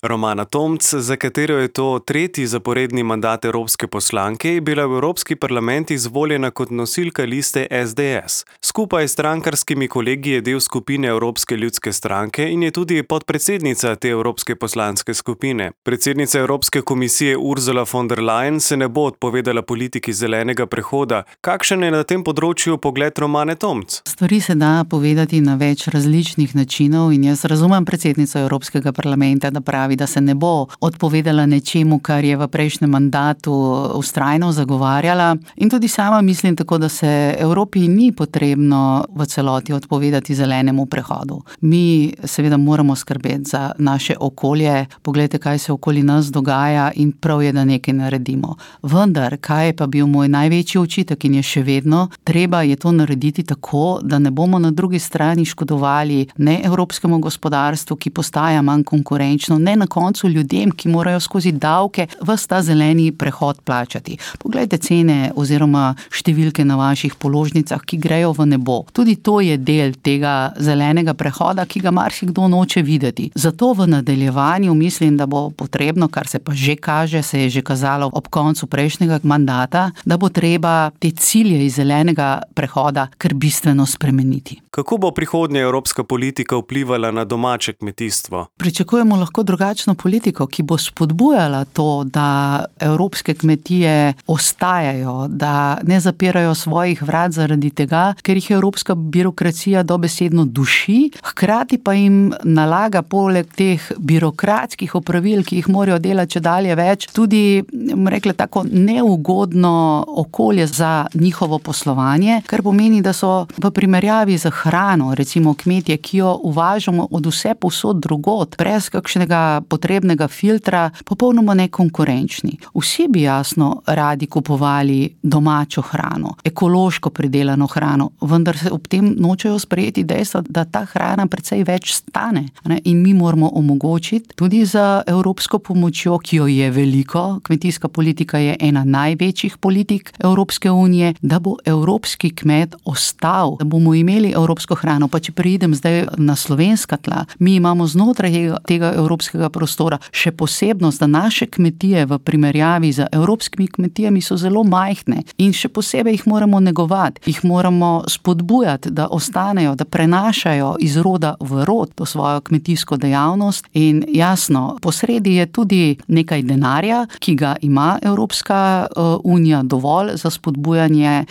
Romana Tomc, za katero je to tretji zaporedni mandat evropske poslanke, je bila v Evropski parlament izvoljena kot nosilka liste SDS. Skupaj s strankarskimi kolegi je del skupine Evropske ljudske stranke in je tudi podpredsednica te evropske poslanske skupine. Predsednica Evropske komisije Ursula von der Leyen se ne bo odpovedala politiki zelenega prehoda. Kakšen je na tem področju pogled Romane Tomc? Stvari se da povedati na več različnih načinov in jaz razumem predsednico Evropskega parlamenta, da pravi, da se ne bo odpovedala nečemu, kar je v prejšnjem mandatu vztrajno zagovarjala. In tudi sama mislim tako, da se Evropi ni potrebno v celoti odpovedati zelenemu prehodu. Mi seveda moramo skrbeti za naše okolje, poglejte, kaj se okoli nas dogaja in prav je, da nekaj naredimo. Vendar, kaj je pa bil moj največji očitek in je še vedno, treba je to narediti tako, da ne bomo na drugi strani škodovali ne evropskemu gospodarstvu, ki postaja manj konkurenčno, ne na koncu ljudem, ki morajo skozi davke ves ta zeleni prehod plačati. Poglejte cene oziroma številke na vaših položnicah, ki grejo v nebo. Tudi to je del tega zelenega prehoda, ki ga marsikdo noče videti. Zato v nadaljevanju mislim, da bo potrebno, kar se pa že kaže, se je že kazalo ob koncu prejšnjega mandata, da bo treba te cilje iz zelenega prehoda kar bistveno spremeniti. Kako bo prihodnja evropska politika vplivala na domače kmetijstvo? Pričakujemo lahko drugačno politiko, ki bo spodbujala to, da evropske kmetije ostajajo, da ne zapirajo svojih vrat zaradi tega, ker jih evropska birokracija dobesedno duši, hkrati pa jim nalaga poleg teh birokratskih opravil, ki jih morajo delati čedalje več, tudi, rekla, tako neugodno okolje za njihovo poslovanje, kar pomeni, da so v primerjavi z hrano, recimo kmetje, ki jo uvažamo od vse povsod drugod, brez kakšnega potrebnega filtra, popolnoma nekonkurenčni. Vsi bi jasno radi kupovali domačo hrano, ekološko pridelano hrano, vendar se ob tem nočejo sprejeti dejstva, da ta hrana precej več stane. In mi moramo omogočiti tudi za evropsko pomočjo, ki jo je veliko, kmetijska politika je ena največjih politik Evropske unije, da bo evropski kmet ostal, da bomo imeli evropsko hrano. Pa če preidem zdaj na slovenska tla, mi imamo znotraj tega evropskega prostora še posebnost, da naše kmetije v primerjavi z evropskimi kmetijami so zelo majhne in še posebej jih moramo negovati, jih moramo spodbujati, da ostanejo, da prenašajo iz roda v rod to svojo kmetijsko dejavnost in jasno, posredi je tudi nekaj denarja, ki ga ima Evropska unija dovolj za spodbujanje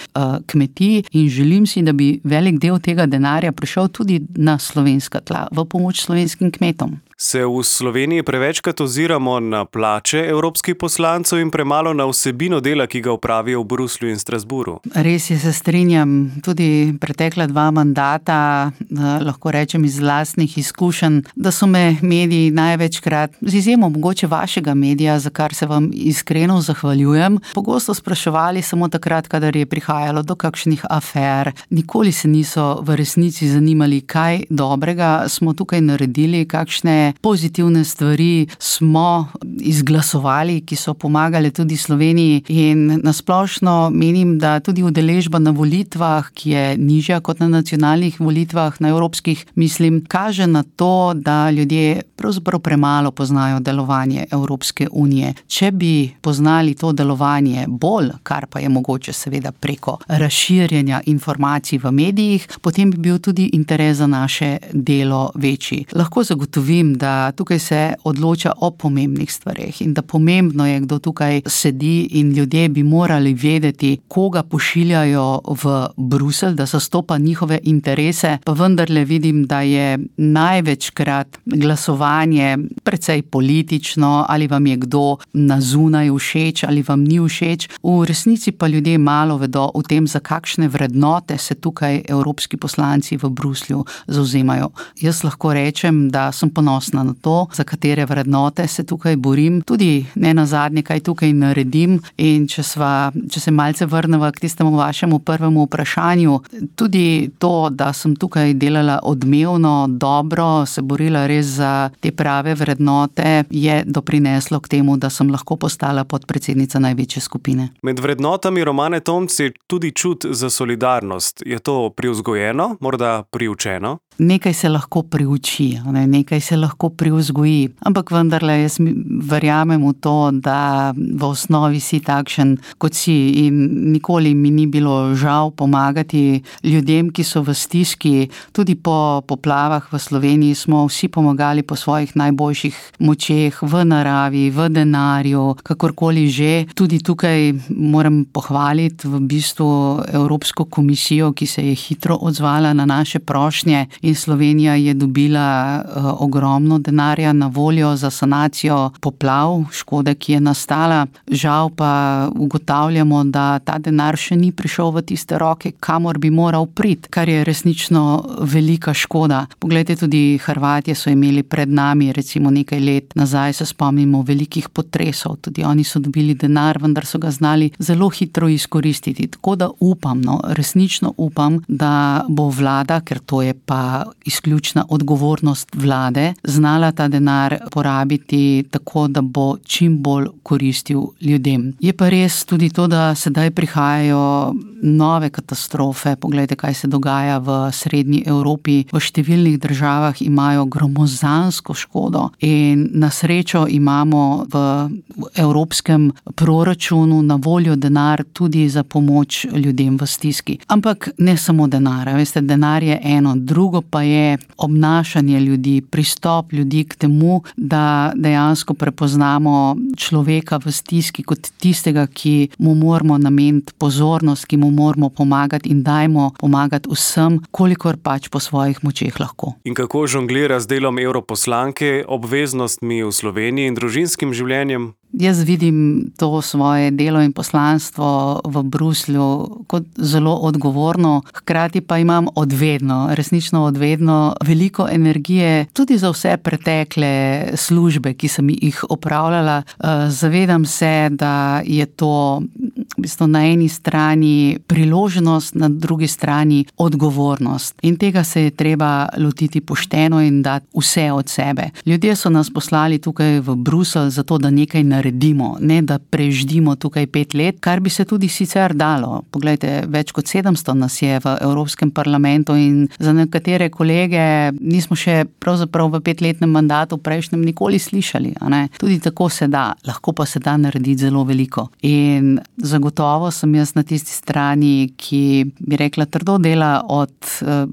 kmetij in želim si, da bi velik del tega denarja prišel tudi na slovenska tla, v pomoč slovenskim kmetom. Se v Sloveniji prevečkrat oziramo na plače evropskih poslancev in premalo na vsebino dela, ki ga opravijo v Bruslju in Strasbourgu? Res je, se strinjam. Tudi pretekla 2 mandata, lahko rečem iz lastnih izkušenj, da so me mediji največkrat, z izjemo mogoče vašega medija, za kar se vam iskreno zahvaljujem, pogosto spraševali samo takrat, kadar je prihajalo do kakšnih afer. Nikoli se niso v resnici zanimali, kaj dobrega smo tukaj naredili, kakšne pozitivne stvari smo izglasovali, ki so pomagale tudi Sloveniji in nasplošno menim, da tudi udeležba na volitvah, ki je nižja kot na nacionalnih volitvah, na evropskih, mislim, kaže na to, da ljudje pravzaprav premalo poznajo delovanje Evropske unije. Če bi poznali to delovanje bolj, kar pa je mogoče seveda preko razširjanja informacij v medijih, potem bi bil tudi interes za naše delo večji. Lahko zagotovim, da tukaj se odloča o pomembnih stvareh in da pomembno je, kdo tukaj sedi in ljudje bi morali vedeti, koga pošiljajo v Bruselj, da zastopa njihove interese, pa vendarle vidim, da je največkrat glasovanje precej politično, ali vam je kdo na zunaj všeč, ali vam ni všeč. V resnici pa ljudje malo vedo o tem, za kakšne vrednote se tukaj evropski poslanci v Bruslju zavzemajo. Jaz lahko rečem, da sem ponosna na to, za katere vrednote se tukaj borim, tudi ne nazadnje, kaj tukaj naredim in če se malce vrneva k tistemu vašemu prvemu vprašanju, tudi to, da sem tukaj delala odmevno, dobro, se borila res za te prave vrednote, je doprineslo k temu, da sem lahko postala podpredsednica največje skupine. Med vrednotami Romane Tomc je tudi čut za solidarnost. Je to privzgojeno, morda priučeno? nekaj se lahko priuči, nekaj se lahko privzgoji, ampak vendarle jaz verjamem v to, da v osnovi si takšen, kot si, in nikoli mi ni bilo žal pomagati ljudem, ki so v stiski. Tudi po poplavah v Sloveniji smo vsi pomagali po svojih najboljših močeh, v naravi, v denarju, kakorkoli že. Tudi tukaj moram pohvaliti v bistvu Evropsko komisijo, ki se je hitro odzvala na naše prošnje, in Slovenija je dobila ogromno denarja na voljo za sanacijo poplav, škode, ki je nastala. Žal pa ugotavljamo, da ta denar še ni prišel v tiste roke, kamor bi moral priti, kar je resnično velika škoda. Poglejte, tudi Hrvatje so imeli pred nami, recimo nekaj let nazaj se spomnimo velikih potresov, tudi oni so dobili denar, vendar so ga znali zelo hitro izkoristiti. Tako da upam, resnično upam, da bo vlada, ker to je pa izključna odgovornost vlade, znala ta denar porabiti tako, da bo čim bolj koristil ljudem. Je pa res tudi to, da sedaj prihajajo nove katastrofe. Poglejte, kaj se dogaja v srednji Evropi. V številnih državah imajo gromozansko škodo in na srečo imamo v evropskem proračunu na voljo denar tudi za pomoč ljudem v stiski. Ampak ne samo denar, veste, denar je eno, drugo pa je obnašanje ljudi, pristop ljudi k temu, da dejansko prepoznamo človeka v stiski kot tistega, ki mu moramo nameniti pozornost, ki mu moramo pomagati in dajmo pomagati vsem, kolikor pač po svojih močeh lahko. In kako žonglira z delom europoslanke, obveznostmi v Sloveniji in družinskim življenjem? Jaz vidim to svoje delo in poslanstvo v Bruslju kot zelo odgovorno, hkrati pa imam resnično odvedno veliko energije tudi za vse pretekle službe, ki sem jih opravljala. Zavedam se, da je to v bistvu na eni strani priložnost, na drugi strani odgovornost. In tega se je treba lotiti pošteno in dati vse od sebe. Ljudje so nas poslali tukaj v Bruselj zato, da nekaj naredimo, ne da preždimo tukaj 5 let, kar bi se tudi sicer dalo. Poglejte, več kot 700 nas je v Evropskem parlamentu in za nekatere kolege nismo še pravzaprav v 5-letnem mandatu prejšnjem nikoli slišali. Tudi tako se da, lahko pa se da narediti zelo veliko. In zagotovo sem jaz na tisti strani, ki bi rekla trdo dela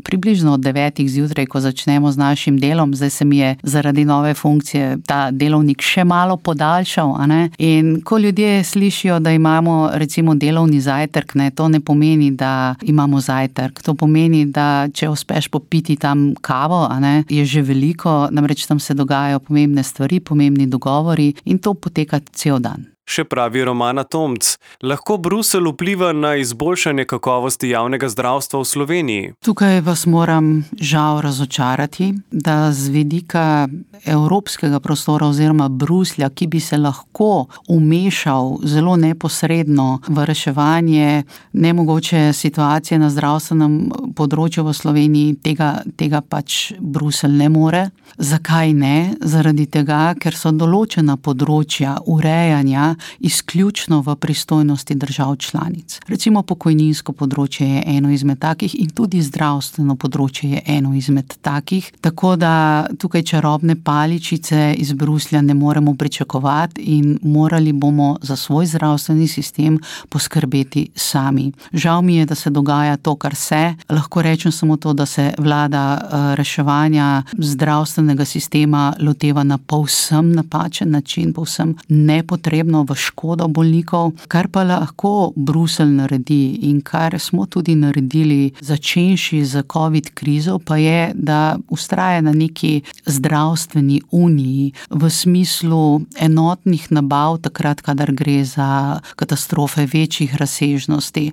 približno od 9 zjutraj, ko začnemo z našim delom. Zdaj se mi je zaradi nove funkcije ta delovnik še malo podaljšal. In ko ljudje slišijo, da imamo recimo delovni zajtrk, to ne pomeni, da imamo zajtrk. To pomeni, da če uspeš popiti tam kavo, je že veliko, namreč tam se dogajajo pomembne stvari, pomembni dogovori in to poteka cel dan. Še pravi Romana Tomc, lahko Bruselj vpliva na izboljšanje kakovosti javnega zdravstva v Sloveniji? Tukaj vas moram žal razočarati, da z vidika evropskega prostora oziroma Bruslja, ki bi se lahko umešal zelo neposredno v reševanje nemogoče situacije na zdravstvenem področju v Sloveniji, tega pač Bruselj ne more. Zakaj ne? Zaradi tega, ker so določena področja urejanja izključno v pristojnosti držav članic. Recimo pokojninsko področje je eno izmed takih in tudi zdravstveno področje je eno izmed takih, tako da tukaj čarobne paličice iz Bruslja ne moremo pričakovati in morali bomo za svoj zdravstveni sistem poskrbeti sami. Žal mi je, da se dogaja to, kar se. Lahko rečem samo to, da se vlada reševanja zdravstvenega sistema loteva na povsem napačen način, povsem nepotrebno v škodo bolnikov. Kar pa lahko Bruselj naredi in kar smo tudi naredili začenši z COVID krizo, pa je, da vztraja na neki zdravstveni uniji v smislu enotnih nabav takrat, kadar gre za katastrofe večjih razsežnosti.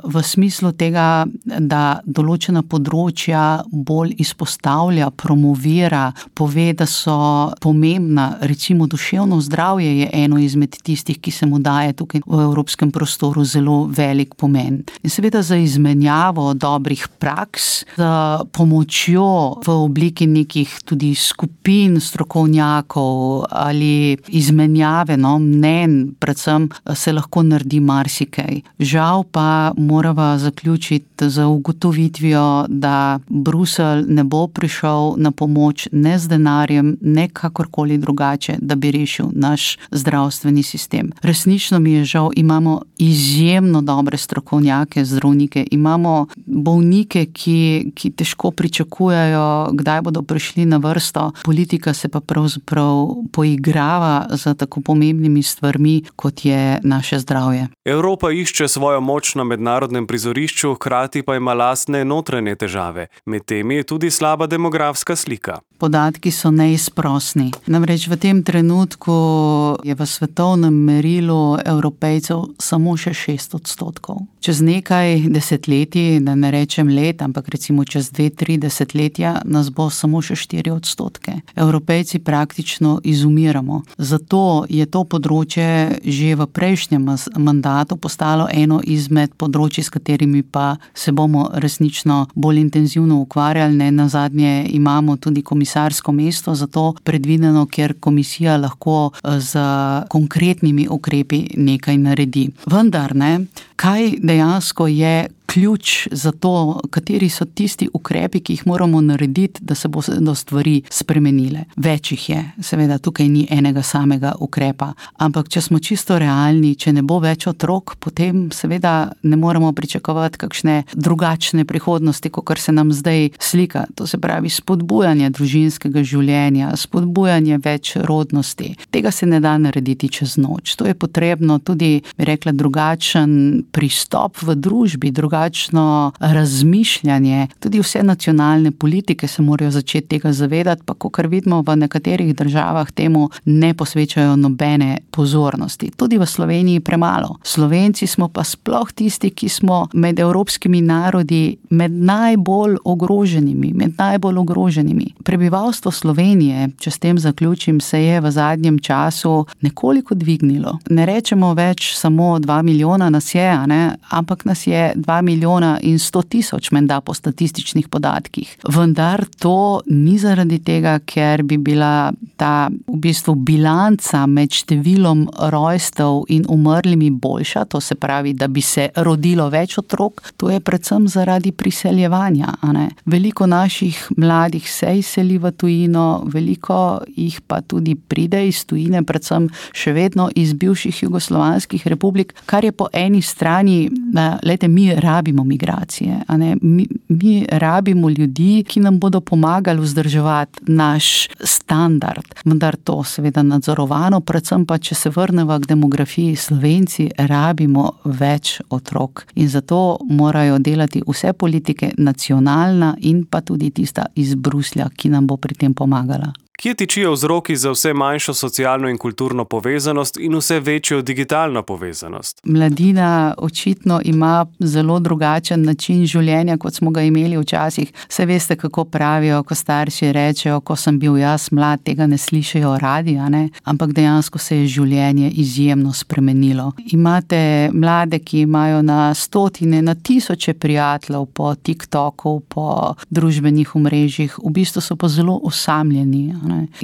V smislu tega, da določena področja bolj izpostavlja, promovira, pove, da so pomembna, recimo duševno zdravje je eno izmed tistih, ki se mu daje tukaj v evropskem prostoru zelo velik pomen. In seveda za izmenjavo dobrih praks, za pomočjo v obliki nekih tudi skupin strokovnjakov ali izmenjave mnenj, predvsem se lahko naredi marsikaj. Žal pa morava zaključiti z ugotovitvijo, da Bruselj ne bo prišel na pomoč ne z denarjem, ne kakorkoli drugače, da bi rešil naš zdravstveni sistem. Resnično mi je žal, imamo izjemno dobre strokovnjake, zdravnike, imamo bolnike, ki težko pričakujejo, kdaj bodo prišli na vrsto. Politika se pa pravzaprav poigrava za tako pomembnimi stvarmi, kot je naše zdravje. Evropa išče svojo moč na mednarodnem prizorišču, hkrati pa ima lastne notranje težave. Med temi je tudi slaba demografska slika. Podatki so neizprosni. Namreč v tem trenutku je v svetovnem merilu Evropejcev samo še 6%. Čez nekaj desetletij, da ne rečem let, ampak recimo čez 2-3 desetletja, nas bo samo še 4%. Evropejci praktično izumiramo. Zato je to področje že v prejšnjem mandatu postalo eno izmed področij, s katerimi pa se bomo resnično bolj intenzivno ukvarjali. Ne nazadnje imamo tudi komisarsko mesto za to predvideno, kjer komisija lahko z konkretnimi ukrepi nekaj naredi. Vendar kaj dejansko je ključ za to, kateri so tisti ukrepi, ki jih moramo narediti, da se bodo stvari spremenile. Več jih je, seveda tukaj ni enega samega ukrepa, ampak če smo čisto realni, če ne bo več otrok, potem seveda ne moremo pričakovati kakšne drugačne prihodnosti, kakor se nam zdaj slika. To se pravi spodbujanje družinskega življenja, spodbujanje več rodnosti. Tega se ne da narediti čez noč. To je potrebno tudi, bi rekla, drugačen pristop v družbi, drugačno razmišljanje. Tudi vse nacionalne politike se morajo začeti tega zavedati, pa kakor vidimo v nekaterih državah temu ne posvečajo nobene pozornosti. Tudi v Sloveniji premalo. Slovenci smo pa sploh tisti, ki smo med evropskimi narodi med najbolj ogroženimi. Prebivalstvo Slovenije, če s tem zaključim, se je v zadnjem času nekoliko dvignilo. Ne rečemo več samo 2 milijona nas je, ampak nas je 2 milijona in 100 tisoč menda po statističnih podatkih. Vendar to ni zaradi tega, ker bi bila ta v bistvu bilanca med številom rojstev in umrlimi boljša, to se pravi, da bi se rodilo več otrok, to je predvsem zaradi priseljevanja. Veliko naših mladih se izseli v tujino, veliko jih pa tudi pride iz tujine, predvsem še vedno iz bivših jugoslovanskih republik, kar je po eni strani, mi rabimo migracije, mi rabimo ljudi, ki nam bodo pomagali vzdrževati naš standard, vendar to seveda nadzorovano, predvsem pa, če se vrnemo k demografiji, Slovenci rabimo več otrok in zato morajo delati vse politike, nacionalna in pa tudi tista iz Bruslja, ki nam bo pri tem pomagala. Kje tičijo vzroki za vse manjšo socialno in kulturno povezanost in vse večjo digitalno povezanost? Mladina očitno ima zelo drugačen način življenja, kot smo ga imeli včasih. Saj veste, kako pravijo, ko starši rečejo, ko sem bil jaz mlad, tega ne slišijo radi, ampak dejansko se je življenje izjemno spremenilo. Imate mlade, ki imajo na stotine, na tisoče prijateljev po TikToku, po družbenih omrežjih, v bistvu so pa zelo osamljeni.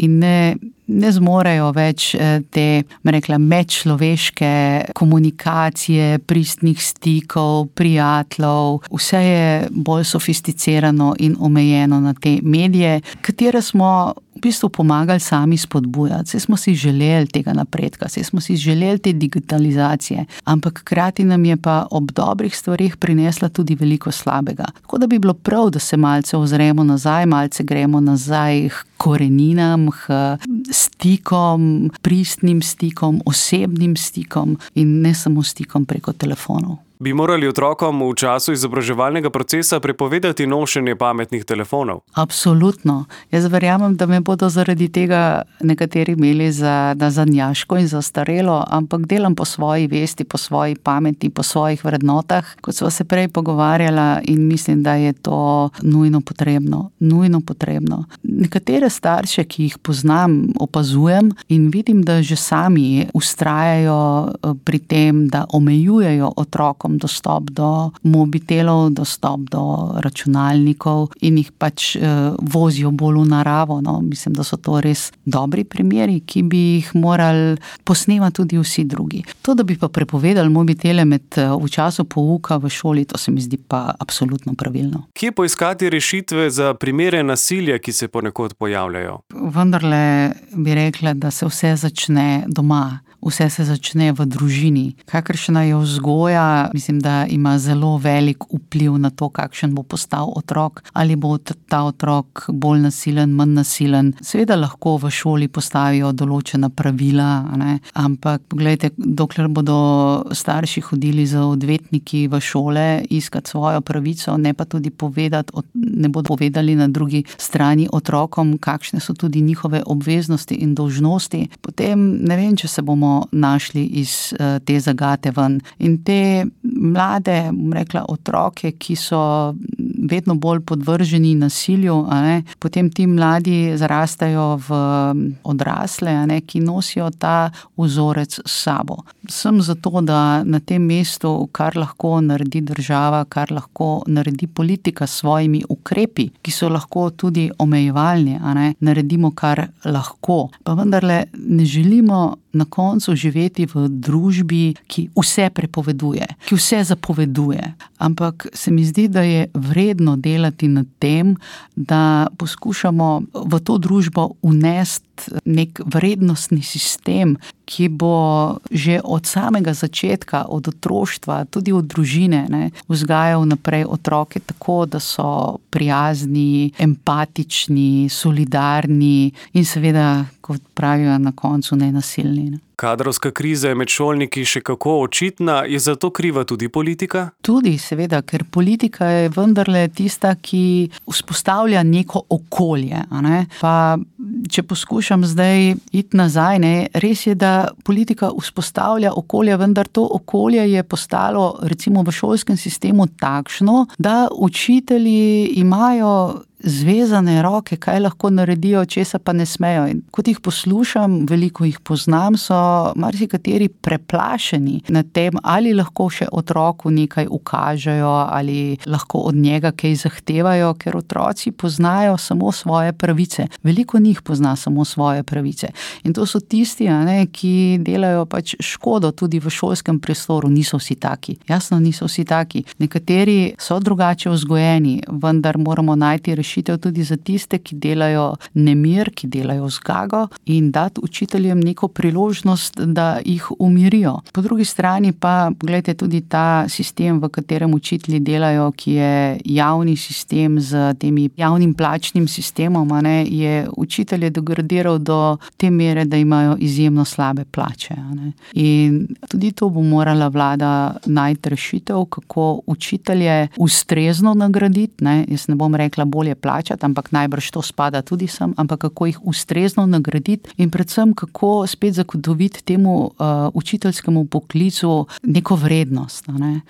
In ne zmorejo več te, medčloveške komunikacije, pristnih stikov, prijateljev. Vse je bolj sofisticirano in omejeno na te medije, katere smo v bistvu pomagali sami spodbujati. Saj smo si želeli tega napredka, saj smo si želeli te digitalizacije, ampak hkrati nam je pa ob dobrih stvarih prinesla tudi veliko slabega. Tako da bi bilo prav, da se malce ozremo nazaj, malce gremo nazaj k koreninam, k stikom, pristnim stikom, osebnim stikom in ne samo stikom preko telefonov. Bi morali otrokom v času izobraževalnega procesa prepovedati nošenje pametnih telefonov? Absolutno. Jaz verjamem, da me bodo zaradi tega nekateri imeli za nazadnjaško in zastarelo, ampak delam po svoji vesti, po svoji pameti, po svojih vrednotah, kot sva se prej pogovarjala, in mislim, da je to nujno potrebno. Nujno potrebno. Nekatere starše, ki jih poznam, opazujem in vidim, da že sami vztrajajo pri tem, da omejujejo otrokom dostop do mobitelov, dostop do računalnikov in jih pač vozijo bolj v naravo. No. Mislim, da so to res dobri primeri, ki bi jih morali posnemati tudi vsi drugi. To, da bi pa prepovedali mobitele v času pouka v šoli, to se mi zdi pa absolutno pravilno. Kje poiskati rešitve za primere nasilja, ki se ponekod pojavljajo? Vendarle bi rekla, da se vse začne doma. Vse se začne v družini. Kakršna je vzgoja, mislim, da ima zelo velik vpliv na to, kakšen bo postal otrok. Ali bo ta otrok bolj nasilen, manj nasilen. Seveda lahko v šoli postavijo določena pravila, ne? Ampak poglejte, dokler bodo starši hodili z odvetniki v šole iskati svojo pravico, ne pa tudi ne bodo povedali na drugi strani otrokom, kakšne so tudi njihove obveznosti in dolžnosti, potem ne vem, če se bomo našli iz te zagate ven. In te mlade, rekla, otroke, ki so vedno bolj podvrženi nasilju, potem ti mladi zarastajo v odrasle, ki nosijo ta vzorec s sabo. Sem zato, da na tem mestu, kar lahko naredi država, kar lahko naredi politika s svojimi ukrepi, ki so lahko tudi omejevalni, naredimo, kar lahko. Pa vendarle ne želimo na koncu živeti v družbi, ki vse prepoveduje, ki vse zapoveduje. Ampak se mi zdi, da je vredno delati nad tem, da poskušamo v to družbo unesti nek vrednostni sistem, ki bo že od samega začetka, od otroštva, tudi od družine, vzgajal naprej otroke tako, da so prijazni, empatični, solidarni in seveda, kot pravijo na koncu, nenasilni. Kadrovska kriza je med šolniki še kako očitna, je za to kriva tudi politika? Tudi, seveda, ker politika je vendarle tista, ki vzpostavlja neko okolje. Pa če poskušam zdaj iti nazaj, res je, da politika vzpostavlja okolje, vendar to okolje je postalo recimo v šolskem sistemu takšno, da učitelji imajo zvezane roke, kaj lahko naredijo, česa pa ne smejo. In kot jih poslušam, veliko jih poznam, so marsikateri preplašeni nad tem, ali lahko še otroku nekaj ukažejo, ali lahko od njega kaj zahtevajo, ker otroci poznajo samo svoje pravice. Veliko njih pozna samo svoje pravice. In to so tisti, ki delajo pač škodo tudi v šolskem prostoru. Niso vsi taki. Jasno, niso vsi taki. Nekateri so drugače vzgojeni, vendar moramo najti rešitev tudi za tiste, ki delajo nemir, ki delajo zgago, in dati učiteljem neko priložnost, da jih umirijo. Po drugi strani pa, pogledajte, tudi ta sistem, v katerem učitelji delajo, ki je javni sistem z temi javnim plačnim sistemom, je učitelje degradiral do te mere, da imajo izjemno slabe plače. In tudi to bo morala vlada najti rešitev, kako učitelje ustrezno nagraditi. Jaz ne bom rekla bolje plačati, ampak najbrž to spada tudi sem, ampak kako jih ustrezno nagraditi in predvsem kako spet zagotoviti temu učiteljskemu poklicu neko vrednost.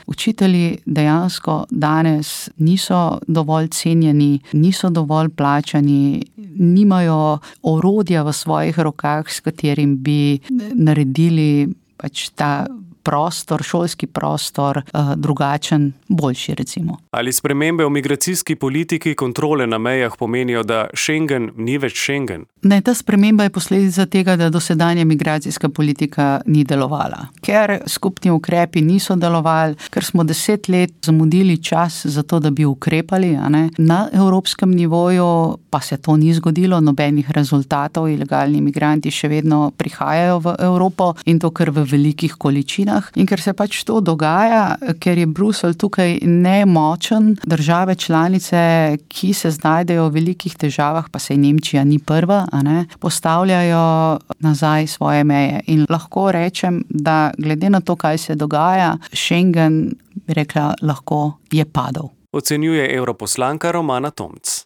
Učitelji dejansko danes niso dovolj cenjeni, niso dovolj plačani, nimajo orodja v svojih rokah, s katerim bi naredili pač ta prostor, šolski prostor drugačen, boljši recimo. Ali spremembe v migracijski politiki, kontrole na mejah pomenijo, da Schengen ni več Schengen? Ne, ta sprememba je posledica tega, da dosedanja migracijska politika ni delovala. Ker skupni ukrepi niso delovali, ker smo 10 let zamudili čas za to, da bi ukrepali, na evropskem nivoju pa se to ni zgodilo, nobenih rezultatov, ilegalni migranti še vedno prihajajo v Evropo in to kar v velikih količinah. In ker se pač to dogaja, ker je Bruselj tukaj nemočen, države članice, ki se znajdejo v velikih težavah, pa saj Nemčija ni prva, postavljajo nazaj svoje meje. In lahko rečem, da glede na to, kaj se dogaja, Schengen bi rekla, lahko je padel. Ocenjuje europoslanka Romana Tomc.